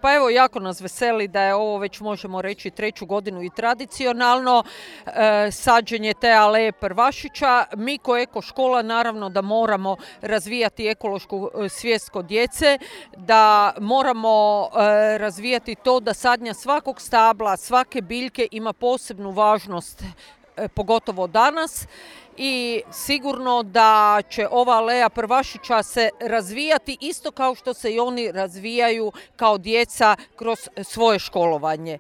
Pa evo, jako nas veseli da je ovo već možemo reći 3. godinu i tradicionalno sađenje te aleje prvašića. Mi ko eko škola naravno da moramo razvijati ekološku svijest kod djece, da moramo razvijati to da sadnja svakog stabla, svake biljke ima posebnu važnost, pogotovo danas. I sigurno da će ova aleja prvašića se razvijati isto kao što se i oni razvijaju kao djeca kroz svoje školovanje.